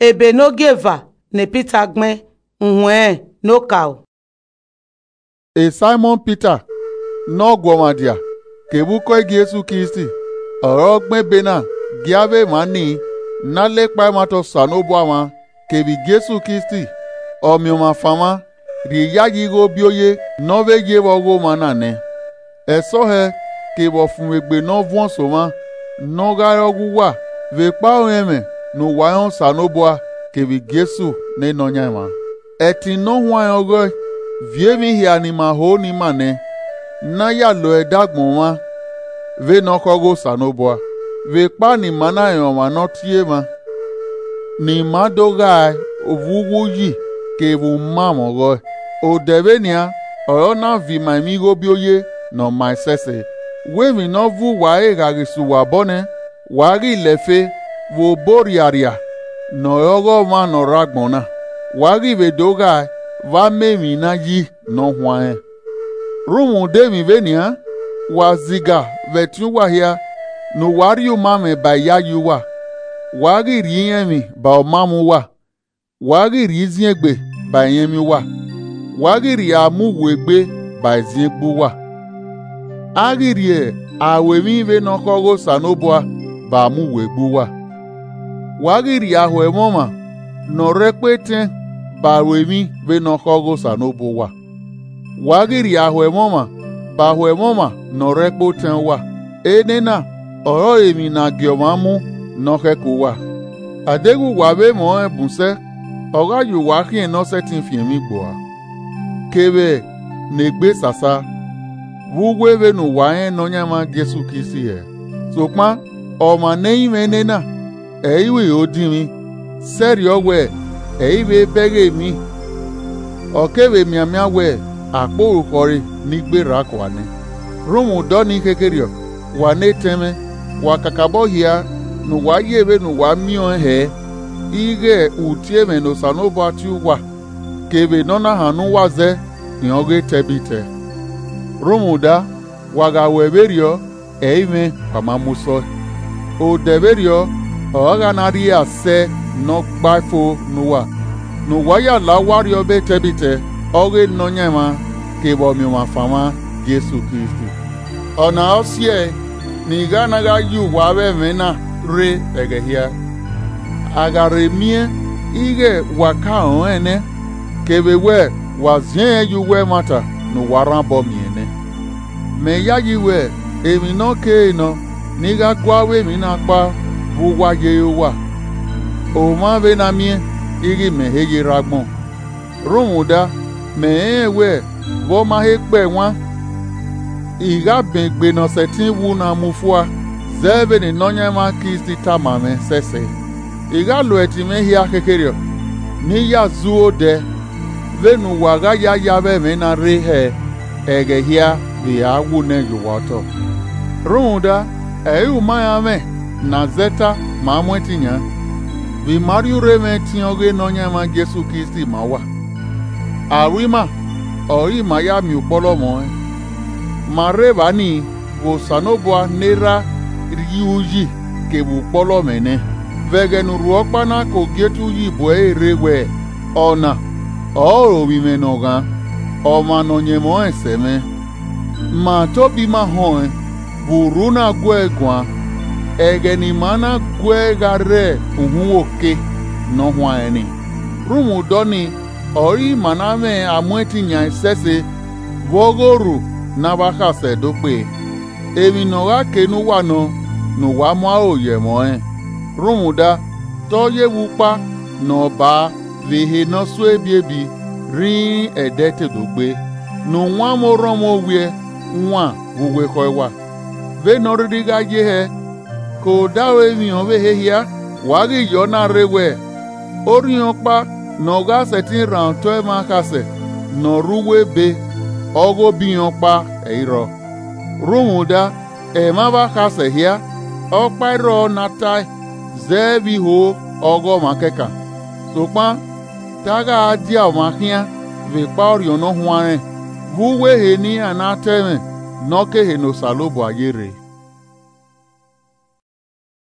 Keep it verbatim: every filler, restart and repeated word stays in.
Ebe ne ogieva ne Pita gbẹn, uhuẹn ne okaro. Saimọn Pita ne ọ gu ọmwa dia, kevbe ukọ Jesu Kristi, ọre ọ gbẹn ebe na gie avbe emwa nii ne a la ekpa ẹmwata Osanobua mwa, kevbe Jesu Kristi, Ọmiọnmwafan mwa, rhie iyayi igho obioye ne ọ vbe ye vbe ọghe omwa na nẹ. Ẹsọhẹ kevbe ọfumwegbe ne ọ vuọn so mwa, ne ọ gha re ọghe uwa vbe ekpa ọmwẹmwẹ ne uwa rẹn Osanobua kevbe Jesu ne Nọyaẹnmwa. Ẹtin ne ọ huanrẹn ọghe, viọ emwi hia ne ima ho ne ima nẹ, ne a ya lo ẹre dagbọn mwa vbene ọ khọ ghe Osanobua, vbe ekpa ne ima na rẹn ọmwa ne ọ tie mwa, ne ima do ghae vbe uwu uyi kevbe umamwẹ ọghọe. Odẹ vbenian ọre ọ na viọ ima emwi igho obioye ne ọ ma ẹsẹse. Wẹ emwi ne ọ vuwa ẹre gha ghi sẹ uwa obọ nẹ, wa ghi lẹ ẹfe vbe obọ rriarria ne ọre ọghe ọmwa ne ọ rre agbọn na, wa ghi vbe do ghae vbe amẹ emwi ne a yi ne ọ huanrẹn. Rhunmwuda emwi vbenian, wa ziga vbe ẹtin uwa hia, ne uwa rhie uma mwẹ ba iyayi uwa, wa ghi rhie irẹnmwi ba umamwẹ uwa, wa ghi rhie iziengbe ba irẹnmwi uwa, wa ghi rhie amuwegbe ba iziengbe uwa, a ghi rhie aro emwi vbene ọ khọ ghe Osanobua ba amuwegbe uwa, wa ghi rhie ahoẹmwẹ ọmwa ne ọ rre ẹkpo etẹn ba aro emwi vbene ọ khọ ghe Osanobua uwa, wa ghi rhie ahoẹmwẹ ọmwa ba ahoẹmwẹ ọmwa ne ọ rre ẹkpo otẹn uwa. Enẹna ọrọre emwi ne a gie ọmwa mu ne ọ khẹke uwa. A deghẹ uwa vbe mwẹ ọnrẹn bun sẹ, ọ gha ye uwa khian ne ọ sẹtin fian emwi gboa, kevbe ne egbe sasa, vbe uwu vbene uwa rẹn Nọyaẹnmwa Jesu Kristi hẹ. Sokpan ọmwa ne ẹ i mwẹ nena, ẹ i ru iro dinmwi, sẹrriọ wẹ ẹ i vbe bẹghe emwi, ọ kevbe mianmian wẹ akpọ orukhọ re ne I gberra kua nẹ. Rhunmwuda ọnii khekherriọ, wa ne etẹn mwẹ, wa kakabọ hia ne uwa ye vbene uwa miẹn ọnrẹn hẹ, ighẹ utie mwẹ ne Osanobua tie uwa, kevbe ne ọ na hannọ uwa zẹ rẹn ọghe tẹbitẹ. Rhunmwuda, wa gha ruẹ vberriọ, ẹ i mwẹ wa ma mu sọe. Odẹ vberriọ ọre ọ gha na rrie asẹ ne ọ gbae fo ne uwa, ne uwa ya la owa rriọ be tẹbitẹ, ọghe Nọyaẹnmwa kevbe Ọmiọnmwafan mwa Jesu Kristi. Ọna ọ siẹe ne I gha na gha ye uwa vbe ẹmwẹ na rre ẹghẹ hia, a gha rhe miẹn ighẹ wa ka rọnrẹn nẹ, kevbe wẹ wa ziẹnrẹn ye uwu ẹmwata ne uwa rhan obọ miẹn nẹ. Mẹ yayi wẹ emwi ne ọ kere nọ ne I gha gua vbe emwi na kpa vbe uwa ye re uwa, omwa vbe na miẹn ighẹ imẹ he ye rre agbọn. Rhunmwuda, mẹ rẹnrẹn wẹ vbe ọ ma he kpẹ wan, I gha bẹn egbe ne ọ sẹtin wu na mu fua, zẹ vbene Nọyaẹnmwa Kristi tama mwẹ sẹsẹ. I gha lo ẹtin mwẹ hia khekherriọ, ne I ya zẹ odẹ, vbene uwa gha ya ye avbe ẹmwẹ na rre hẹ ẹghẹ hia vbe a wu nẹ ye uwa otọ. Rhunmwuda, ẹ i re uma iran mwẹ ne a zẹ ta ma mu ẹtin yan, vbe ima rhie urhe mwẹ ẹtin ọghe Nọyaẹnmwa Jesu Kristi ma uwa. Aro ima ọre ima ya miẹn ukpọlọ mwẹ ọnrẹn. Ma rre evba nii vbe Osanobua ne erha rhie uyi kevbe ukpọlọ mwẹ nẹ, vbe ẹghẹ ne urhuọkpa na ke ogie te uyi bu ẹre rre wẹ, ọna ọrọre ovbi mwẹ ne ọ ghan, ọmwa ne ọ yẹnmwẹ ọnrẹn sẹ mwẹ. Ma tobọ ima họẹn vbe urhu na guẹ guan, ẹghẹ ne ima na guẹ gha rre uhunmwu oke ne ọ huanrẹn nii. Rhunmwuda ọnii ọre ima na mwẹ a mu ẹtin yan ẹsẹse vbe ọghe orhu ne a vba khasẹ do kpee. Emwi ne ọ gha kee ne uwa nọ ne uwa mu aro ye ẹmwẹ ọnrẹn, rhunmwuda te ọ ye vbe ukpa ne ọ baa vbe ehe ne ọ sue ebiebi rhinrin ẹdẹ te do gbe, ne uwanmwẹ orọnmwẹ owiẹ wan vbe uwu ekhọe uwa. Vbene ọ rhirhi gha ye hẹ, ke odaro emwi ọvbehe hia, wa ghi ye ọna rre wẹ, orhiọn ọkpa ne ọ gha sẹtin rhan otọ ẹmwẹ akhasẹ ne ọ rre uwu ebe, ọghe obi irẹn ọkpa ẹ i rrọọ. Rhunmwuda, ẹmwẹ avbe akhasẹ hia, ọkpa i rrọọ ne a tae zẹ vbe iho ọghe ọmwa kẹkan. Sokpan, te a gha dia ọmwa khian vbe ekpa Orhiọn Ne Ọ Huanrẹn, vbe uwu ehe ne iran na ta ẹmwẹ ne ọ ke ehe ne Osanobua ye rre.